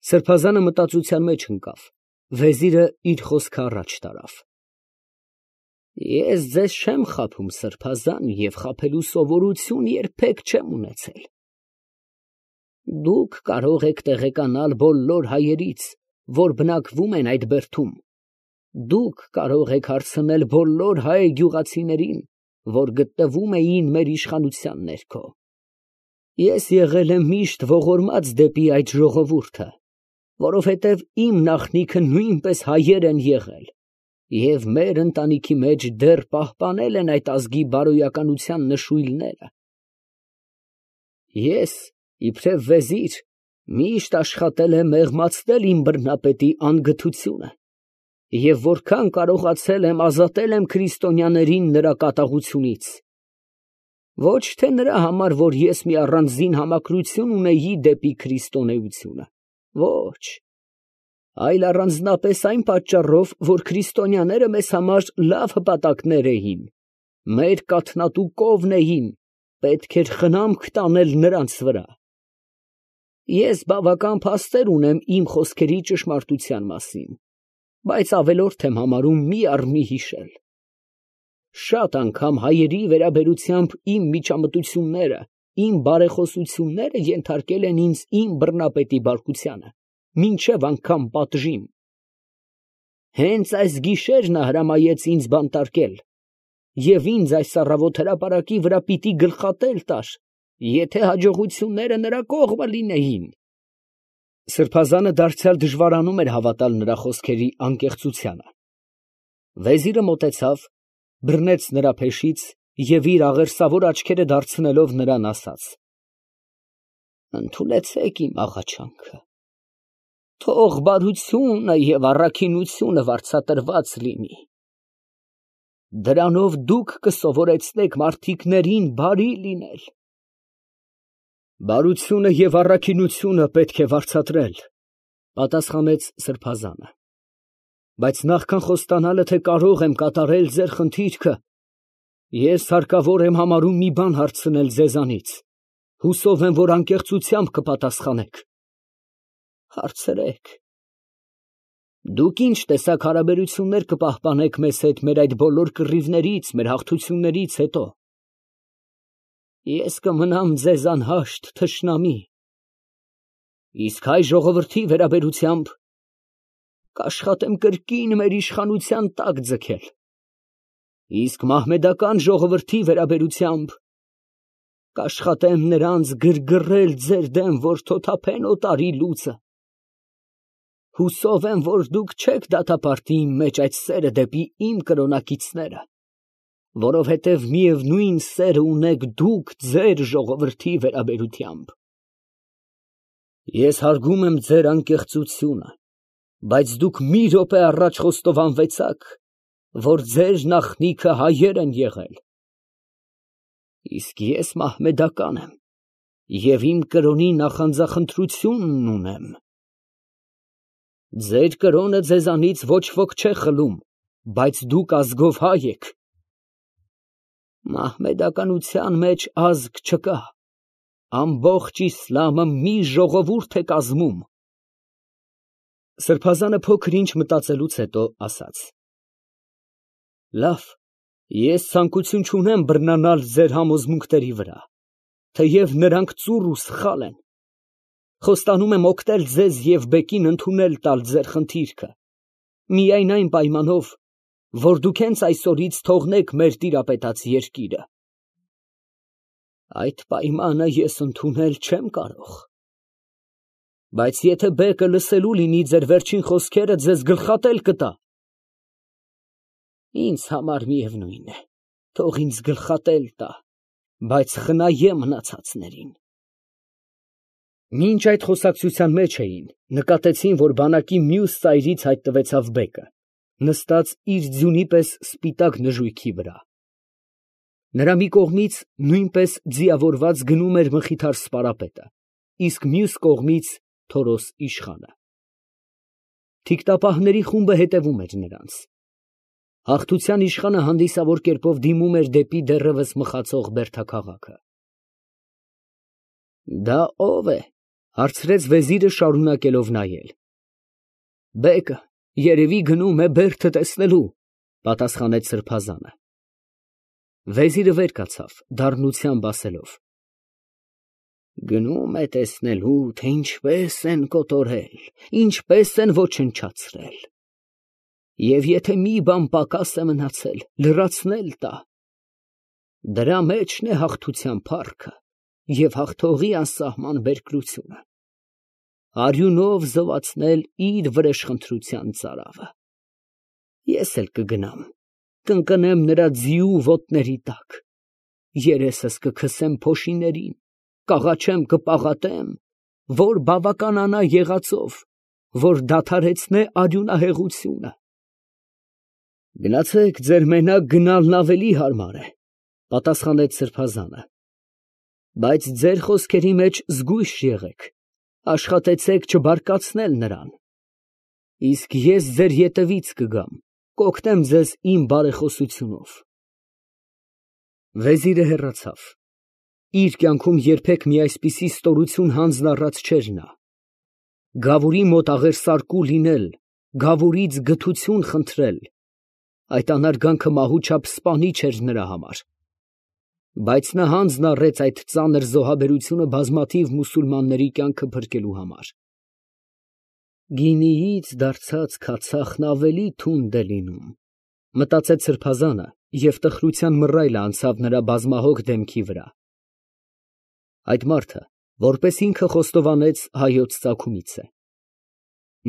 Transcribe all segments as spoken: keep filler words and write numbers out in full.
Սրբազանը մտածության մեջ ընկավ, վեզիրը իր խոսքը առաջ տարավ. Ես ձեզ չեմ խաբում, սրբազան, և խաբելու սովորություն երբեք չեմ ունեցել. դուք կարող եք տեղեկանալ բոլոր հայերից, որ բնակվում են այդ բերդում, դուք կարող եք հարցնել բոլոր հայ գյուղացիներին, որ գտնվում էին մեր իշխանության ներքո. ես եղել եմ միշտ ողորմած դեպի այդ ժողովուրդը, որովհետև իմ նախնիքը նույնպես հայեր են եղել, և մեր ընտանիքի մեջ դեռ պահպանել են այդ ազգի բարոյականության նշույլները. ես, իբրև վեզիր, միշտ աշխատել եմ մեղմացնել իմ բռնապետի անգթությունը, և որքան կարողացել եմ ազատել եմ քրիստոնյաներին նրա կատաղությունից, ոչ թե նրա համար, որ ես մի առանձին համակրություն ունեի դեպի քրիստոնեությունը, ոչ, այլ առանձնապես այն պատճառով, որ քրիստոնյաները մեզ համար լավ հպատակներ էին, մեր կաթնատու կովն էին, պետք էր խնամք տանել նրանց վրա. ես բավական փաստեր ունեմ իմ խոսքերի ճշմարտության մասին, բայց ավելորդ եմ համարում մի առ մի հիշել. շատ անգամ հայերի վերաբերությամբ իմ միջամտությունները, իմ բարեխոսությունները ենթարկել են ինձ իմ բռնապետի բարկությանը, մինչև անգամ պատժին. հենց այս գիշեր նա հրամայեց ինձ բանտարկել, և ինձ այս առավոտ հրապարակի վրա պիտի գլխատել տար, եթե հաջողությունները նրա կողմը լինեին։ Սրբազանը դարձյալ դժվարանում էր հավատալ նրա խոսքերի անկեղծությանը։ Վեզիրը մոտեցավ, բռնեց նրա փեշից և իր աղերսավոր աչքերը դարձնելով նրան ասաց. ընդունեցեք իմ աղաչանքը, թող բարությունը և առաքինությունը վարձատրված լինի, դրանով դուք կսովորեցնեք մարդիկներին բարի լինել։ Բարությունը և առաքինությունը պետք է վարձատրել, պատասխանեց սրբազանը, բայց նախքան խոստանալը, թե կարող եմ կատարել ձեր խնդիրքը, ես հարկավոր եմ համարում մի բան հարցնել ձեզանից, հուսով եմ, որ անկեղծությամբ կպատասխանեք։ Հարցրեք։ Դուք ինչ տեսակ հարաբերություններ կպահպանեք մեզ հետ մեր այդ բոլոր կռիվներից, մեր հաղթություններից հետո։ Ես կմնամ ձեզ անհաշտ թշնամի, իսկ հայ ժողովրդի վերաբերությամբ կաշխատեմ կրկին մեր իշխանության տակ ձգել, իսկ մահմեդական ժողովրդի վերաբերությամբ կաշխատեմ նրանց գրգռել ձեր դեմ, որ թոթափեն օտարի լուծը։ Հուսով եմ, որ դուք չեք դատապարտի իմ մեջ այդ սերը դեպի իմ կրոնակիցները, որովհետև միևնույն սերը ունեք դուք ձեր ժողովրդի վերաբերությամբ։ Ես հարգում եմ ձեր անկեղծությունը, բայց դուք մի րոպե առաջ խոստովանվեցաք, որ ձեր նախնիքը հայեր են եղել, իսկ ես մահմեդական եմ և իմ կրոնի նախանձախնդրությունն ունեմ։ Ձեր կրոնը ձեզանից ոչ ոք չէ խլում, բայց դուք ազգով հայ եք։ Մահմեդականության մեջ ազգ չկա, ամբողջ իսլամը մի ժողովուրդ է կազմում։ Սրբազանը փոքր ինչ մտածելուց հետո ասաց. լավ, ես ցանկություն չունեմ բռնանալ ձեր համոզմունքների վրա, թեև նրանք ծուռ ու սխալ են։ Խոստանում եմ օգնել ձեզ և բեկին ընդունել տալ ձեր խնդիրքը, միայն այն պայմանով, որ դուք հենց այսօրից թողնեք մեր տիրապետած երկիրը։ Այդ պայմանը ես ընդունել չեմ կարող, բայց եթե բեկը լսելու լինի ձեր վերջին խոսքերը, ձեզ գլխատել կտա։ Ինձ համար միևնույն է, թող ինձ գլխատել տա, բայց խնայե մնացածներին։ Մինչ այդ խոսակցության մեջ էին, նկատեցին, որ բանակի մյուս ծայրից հայտնվեցավ բեկը, նստած իր ձյունի պես սպիտակ նժույգի վրա։ Նրա մի կողմից նույնպես ձիավորված գնում էր մխիթար սպարապետը, իսկ մյուս կողմից Թորոս իշխանը։ Թիկտապահների խումբը հետևում էր նրանց։ Հաղթության իշխանը հանդիսավոր կերպով դիմում էր դեպի դեռևս մխացող բերդաքաղաքը։ Դա ո՞վ է, Հարցրեց վեզիրը շարունակելով նայել։ Բեկը երևի գնում է բերդը տեսնելու, պատասխանեց սրբազանը։ Վեզիրը վեր կացավ, դառնությամբ ասելով. Գնում է տեսնելու, թե ինչպես են կոտորել, ինչպես են ոչնչացրել։ Եվ եթե մի բան պակաս է մնացել, լրացնել տա։ Դրա մեջն է հաղթության փառքը և հաղթողի անսահման բերկրությունը։ Արյունով զովացնել իր վրեժխնդրության ծարավը։ Ես էլ կգնամ, կընկնեմ նրա ձիու ոտների տակ, երեսս կքսեմ փոշիներին, կաղաչեմ, կպաղատեմ, որ բավականանա եղածով, որ դադարեցնե արյունահեղությունը։ Գնացեք, ձեր մենակ գնալն ավելի հարմար է, պատասխանեց սրբազանը, բայց ձեր խոսքերի մեջ զգույշ եղեք, աշխատեցեք չբարկացնել նրան, իսկ ես ձեր ետևից կգամ, կօգնեմ ձեզ իմ բարեխոսությունով։ Վեզիրը հեռացավ։ Իր կյանքում երբեք մի այսպիսի ստորություն հանձն առած չէր նա։ Գավուրի մոտ աղերսարկու լինել, գավուրից գթություն խնդրել, այդ անարգանքը մահու չափ սպանիչ էր նրա համար։ Բայց նա հանձն առեց այդ ծանր զոհաբերությունը բազմաթիվ մուսուլմանների կյանքը փրկելու համար։ Գինիից դարձած քացախն ավելի թունդ է լինում, մտածեց սրբազանը, և տխրության մռայլը անցավ նրա բազմահոգ դեմքի վրա։ Այդ մարդը, որպես ինքը խոստովանեց, հայոց ծագումից է։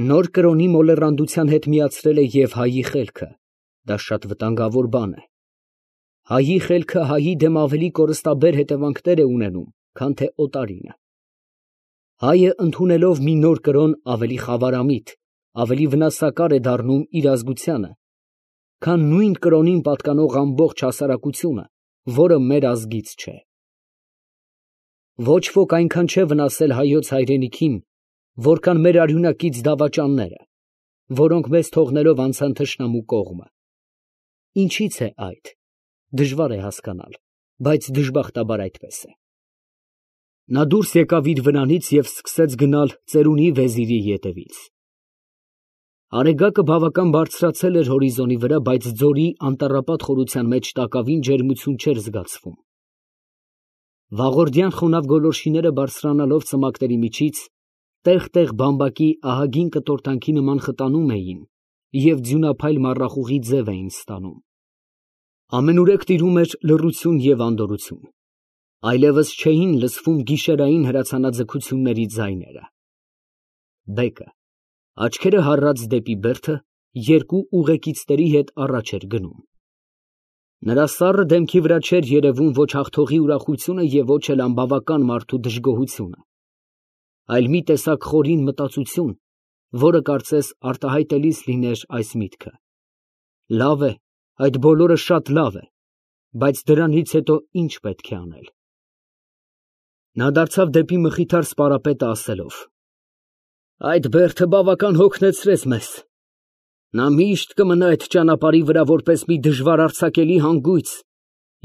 Նոր կրոնի մոլեռանդության հետ միացրել է և հայի խելքը, դա շատ վտանգավոր բան է։ Հայի խելքը հայի դեմ ավելի կորստաբեր հետևանքներ է ունենում, քան թե օտարինը։ Հայը ընդունելով մի նոր կրոն ավելի խավարամիտ, ավելի վնասակար է դառնում իր ազգությանը, քան նույն կրոնին պատկանող ամբողջ հասարակությունը, որը մեր ազգից չէ։ Ոչ ոք այնքան չէ վնասել հայոց հայրենիքին, որքան մեր արյունակից դավաճանները, որոնք մեզ թողնելով անցան թշնամու կողմը։ Ինչից է այդ։ Դժվար է հասկանալ, բայց դժբախտաբար այդպես է։ Նա դուրս եկավ իր վրանից և սկսեց գնալ ծերունի վեզիրի ետևից։ Արեգակը բավական բարձրացել էր հորիզոնի վրա, բայց ձորի անտառապատ խորության մեջ տակավին ջերմություն չէր զգացվում։ Վաղորդյան խոնավ գոլորշիները բարձրանալով ծմակների միջից, տեղ֊տեղ բամբակի ահագին կտորտանքի նման խտանում էին և ձյունափայլ մառախուղի ձև էին ստանում։ Ամենուրեք տիրում էր լռություն և անդորրություն, այլևս չէին լսվում գիշերային հրացանաձգությունների ձայները։ Բեկը, աչքերը հառած դեպի բերդը, երկու ուղեկիցների հետ առաջ էր գնում։ Նրա սառը դեմքի վրա չէր երևում ոչ հաղթողի ուրախությունը և ոչ էլ անբավական մարդու դժգոհությունը, այլ մի տեսակ խորին մտածություն, որը կարծես արտահայտելիս լիներ այս միտքը. լավ է, այդ բոլորը շատ լավ է, բայց դրանից հետո ինչ պետք է անել։ Նա դարձավ դեպի մխիթար սպարապետը ասելով. Այդ բերդը բավական հոգնեցրեց մեզ։ Նա միշտ կմնա այդ ճանապարհի վրա որպես մի դժվար արձակելի հանգույց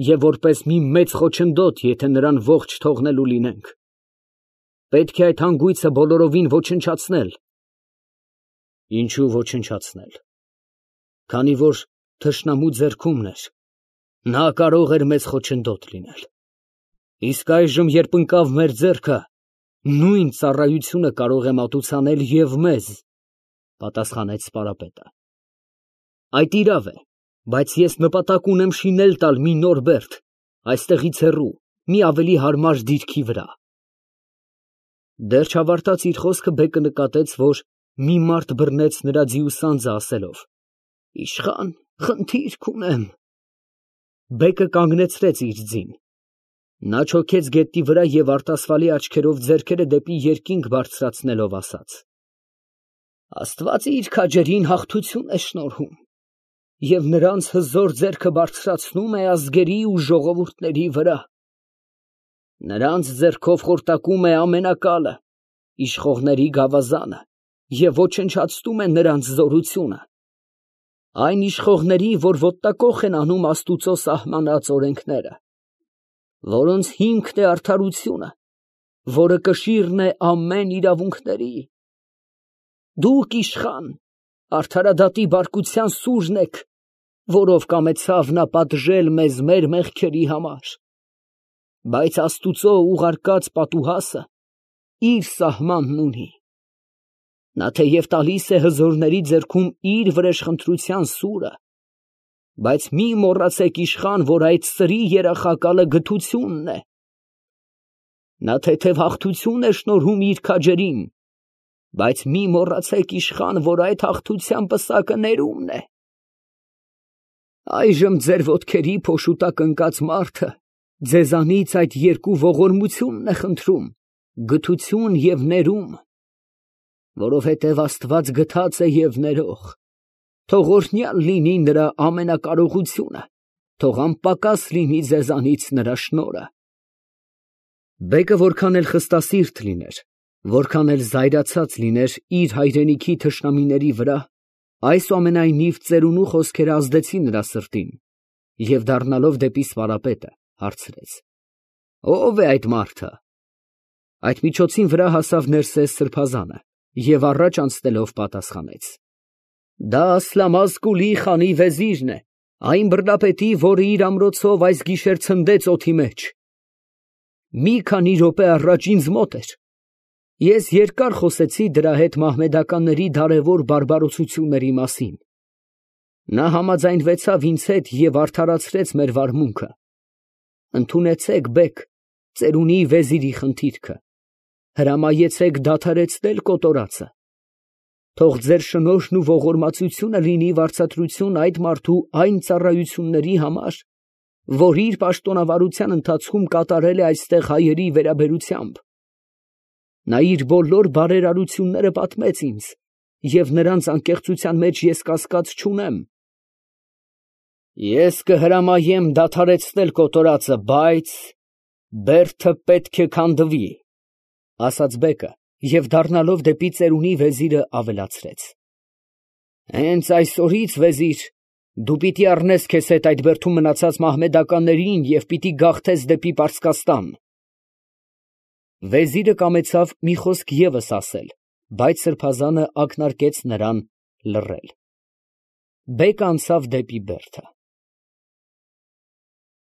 և որպես մի մեծ խոչընդոտ, եթե նրան ողջ թողնելու լինենք։ Պետք է այդ հանգույցը բոլորովին ոչնչացնել։ Ինչու ոչնչացնել։ Քանի որ թշնամու ձեռքումն էր, նա կարող էր մեծ խոչընդոտ լինել։ Իսկ այժմ, երբ ընկավ մեր ձեռքը, նույն ծառայությունը կարող է մատուցանել և մեզ, պատասխանեց սպարապետը։ Այդ իրավ է, բայց ես նպատակ ունեմ շինել տալ մի նոր բերդ, այստեղից հեռու, մի ավելի հարմար դիրքի վրա։ Դեռ չավարտած իր խոսքը բեկը նկատեց, որ մի մարդ բռնեց նրա ձիու սանձը ասելով. Իշխան, խնդիրք ունեմ։ Բեկը կանգնեցրեց իր ձին։ Նա չոքեց գետնի վրա և արտասվալի աչքերով ձեռքերը դեպի երկինք բարձրացնելով ասաց. Աստված իր քաջերին հաղթություն է շնորհում և նրանց հզոր ձեռքը բարձրացնում է ազգերի ու ժողովուրդների վրա։ Նրանց ձեռքով խորտակում է ամենակալը, իշխողների գավազանը և ոչնչացնում է նրանց զորությունը։ Այն իշխողների, որ ոտնակոխ են անում Աստուծո սահմանած օրենքները, որոնց հիմքն է արդարությունը, որը կշիռն է ամեն իրավունքների։ Դուք իշխան, արդարադատի բարկության սուրն եք, որով կամեցավ նա պատժել մեզ մեր մեղքերի համար։ Բայց Աստուծո ուղարկած պատուհասը իր սահմանն ունի։ Նա թեև տալիս է հզորների ձեռքում իր վրեժխնդրության սուրը, բայց մի մոռացեք իշխան, որ այդ սրի երախակալը գթությունն է։ Նա թեթև հաղթություն է շնորհում իր քաջերին, բայց մի մոռացեք իշխան, որ այդ հաղթության պսակը ներումն է։ Այժմ ձեր ոտքերի փոշուտակ ընկած մարդը ձեզանից այդ երկու ողորմությունն է խնդրում, գթություն և ներում, որովհետև Աստված գթած է և ներող, թող օրհնյալ լինի նրա ամենակարողությունը, թող անպակաս լինի ձեզանից նրա շնորհը։ Բեկը որքան էլ խստասիրտ լիներ, որքան էլ զայրացած լիներ իր հայրենիքի թշնամիների վրա, այսուամենայնիվ ծերունու խոսքերը ազդեցին նրա սրտին, և դառնալով դեպի Սարապետը, հարցրեց. Ո՞վ է այդ մարդը։ Այդ միջոցին վրա հասավ Ներսես սրբազանը և առաջ անցնելով պատասխանեց. Դա Ասլամազկուլի խանի վեզիրն է, այն բռնապետի, որը իր ամրոցով այս գիշեր ցնդեց օդի մեջ։ Մի քանի րոպե առաջ ինձ մոտ էր։ Ես երկար խոսեցի դրա հետ մահմեդականների դարավոր բարբարոսությունների մասին։ Նա համաձայնվեցավ ինձ հետ և արդարացրեց մեր վարմունքը։ Ընդունեցեք, բեգ, ծերունի վեզիրի խնդիրքը, հրամայեցեք դադարեցնել կոտորածը։ Թող ձեր շնորհն ու ողորմածությունը լինի վարձատրություն այդ մարդու այն ծառայությունների համար, որ իր պաշտոնավարության ընթացքում կատարել է այստեղ հայերի վերաբերությամբ։ Նա իր բոլոր բարերարությունները պատմեց ինձ, և նրանց անկեղծության մեջ ես կասկած չունեմ։ Ես կհրամայեմ դադարեցնել կոտորածը, բայց բերդը պետք է քանդվի, ասաց բեկը և դառնալով դեպի ծերունի վեզիրը ավելացրեց. Հենց այսօրից, վեզիր, դու պիտի առնես քեզ հետ այդ բերդում մնացած մահմեդականներին և պիտի գաղթես դեպի Պարսկաստան։ Վեզիրը կամեցավ մի խոսք ևս ասել, բայց սրբազանը ակնարկեց նրան լռել։ Բեկը անցավ դեպի բերդը։